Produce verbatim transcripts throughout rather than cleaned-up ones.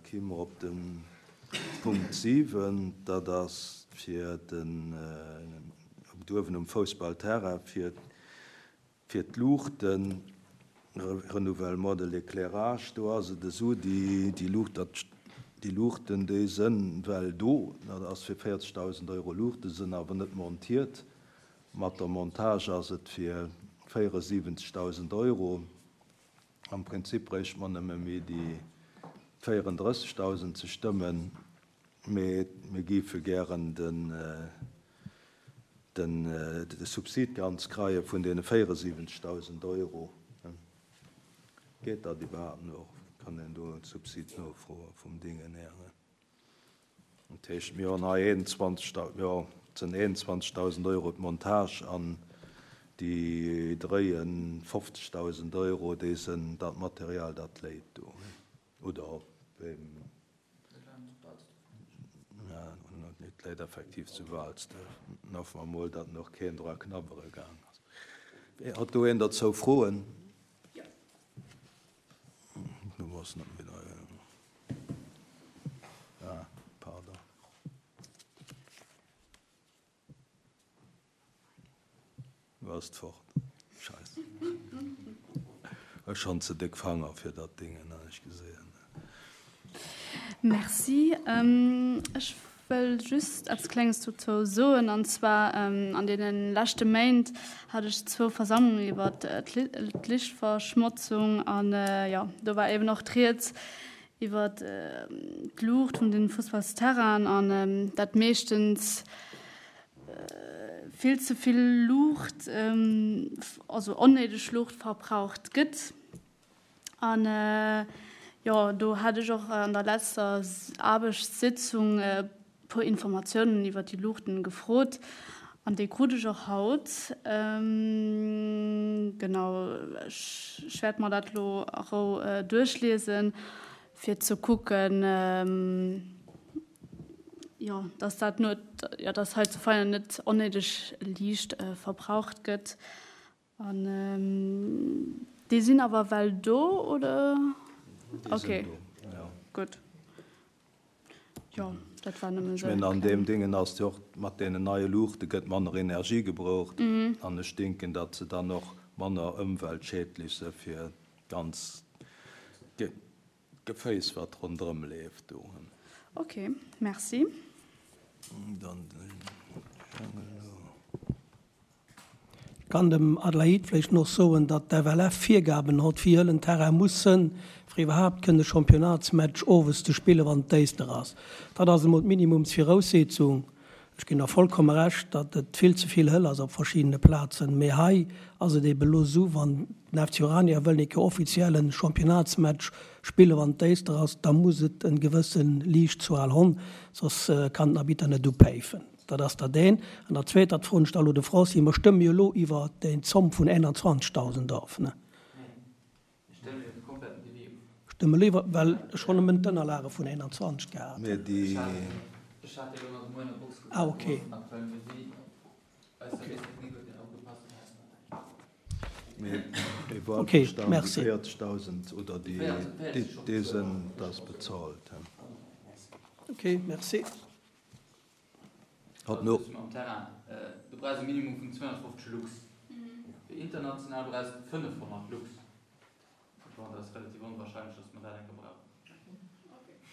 Ki mer op de Punkt siwen, dat ass fir den uewen um Foussballterrain fir fir d'Luuchten, Renouvellement de l'éclairage, do ass et esou, déi déi Luucht, dat déi Luuchten, déi sënn well do, dat ass fir véierzegdausend Euro Luuchte, sënn awer net montiert. Mat der Montage ass et fir véieresiwwenzegdausend Euro. Am Prinzip bréicht mer nëmme méi déi véierendrëssegdausend ze stëmmen, mee mir géife gären den de Subsid ganz kreie vun deene véieresiwwenzegdausend Euro. Geet dat iwwerhaapt nach? Kann een do e Subsid nofroe vum Dingen här? Dat heescht, mir hunn hei eenundzwanzeg, jo, et sinn eenundzwanzegdausend Euro d'Montage an déi dréie fofzegdausend Euro, déi sinn dat Material, dat léit do, oder wéi? Et léit effektiv zu Waalsdorf. Hoffe mer mol, datt nach keen dra knabbere gaang ass. Hat do een derzou Froen? Du bass net méi dei. Ah, pardon. Du ass fort. Scheiss. Ech schonn ze déck Fanger fir dat Dingen, han ech gesehen. Merci. Ech wëll just eppes Klenges dozou soen, an zwar an deene leschte Méint hat ech zwou Versammlungen iwwer d'Lichtverschmotzung an jo, do war eben och d'Rieds iwwer d'Luucht vun den Fussballsterrainen an dat meeschtens vill ze vill Luucht, also onnéideg Luucht verbraucht gëtt. An jo, do hat ech och an der letzter Aarbechtssitzung e puer Informatiounen iwwer déi Luuchten gefrot an déi krut ech och haut. Genau, ech wäert mer dat elo a Rou duerchliesen, fir ze kucken, jo, dass dat net, jo, dass hei zu Veianen net onnéideg Liicht verbraucht gëtt. An déi sinn awer well do, oder? Déi sinn do, jo. Gutt. Jo, dat war nëmmen Ech esou mengen, eng an deem kleng. Dingen ass jo och, mat deenen neie Luuchte gëtt manner Energie gebraucht an ech denken, datt se dann och manner ëmweltschädlech se fir d'ganz Geféiss, wat ronderëm leeft do. Ok, merci. Dann den Jangel elo. Ech kann dem Adelaide vläicht nach soen, datt d'FLF Virgaben hott, wéi hëll en Terrain muss sënn, fir iwwerhaapt kënne Championnatsmatch owes ze spillen, wann et déister ass. Dat ass emol d'Minimumsviraussetzung. Ech ginn der vollkomme Recht, datt et vill ze vill hëll ass op verschiddene Plazen, mee hei ass et ebe lo esou, wann den F C Urania wëll eng Kéier offiziell en Championnatsmatch spillen, wann et déister ass, da muss et en gewësse Liichtzual honn, soss kann den Arbitter net upäifen. Dat ass dat eent. An dat Zweet, dat froen ech da elo de Francis, mer stëmme jo elo iwwer déi Zomm vun einundzwanzigtausend of, ne? Stëmme elo iwwer, well ech hunn nëmmen d'Ënnerlage vun einundzwanzig gehat. Mee déi. Ah, okay. Mee déi war Okay, verstanen, déi merci. véierzegtausend oder déi, déi sinn, dat ass bezahlt. Okay, merci. Hat no. Am Terrain, du brauchs e Minimum vun zweehonnertfofzeg Lux. Fir international brauchs de fënnefhonnert Lux. Bon, dat ass relativ onwahrscheinlech, dass mer dat eng Kéier brauchen.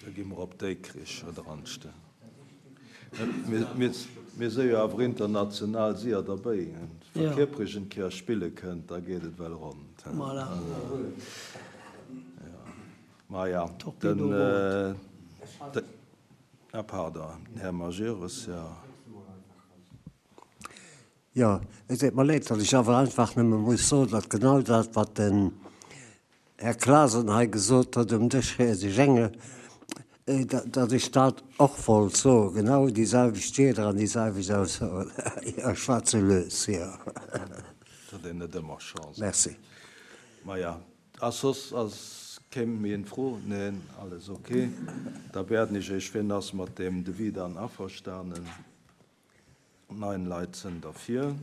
Da gi mer op Dikrich oder anstellen. Mir si jo awer international séier derbäi. Wa Kiprich eng Kéier spille kënnt, da geet et well ronn. Voilà. Maja, den. Ah pardon, den Här Majerus, jo. Jo, et deet mer leed, datt ech awer einfach nëmme muss soen, datt genau dat, wat den Här Clasen hei gesot huet um Dësch, Här Gengel, datt ech dat och wollt soen, genau déi selwecht Wierder an déi selwecht Aussoen. Jo, ech war ze lues, jo. Et huet een net ëmmer Chance. Merci. Maja, a soss ass kéim méi en Fro? Neen, alles ok. Da werden ech Iech, wien ass mat deem Devis dann averstanen? Neun Leit sënn derfir.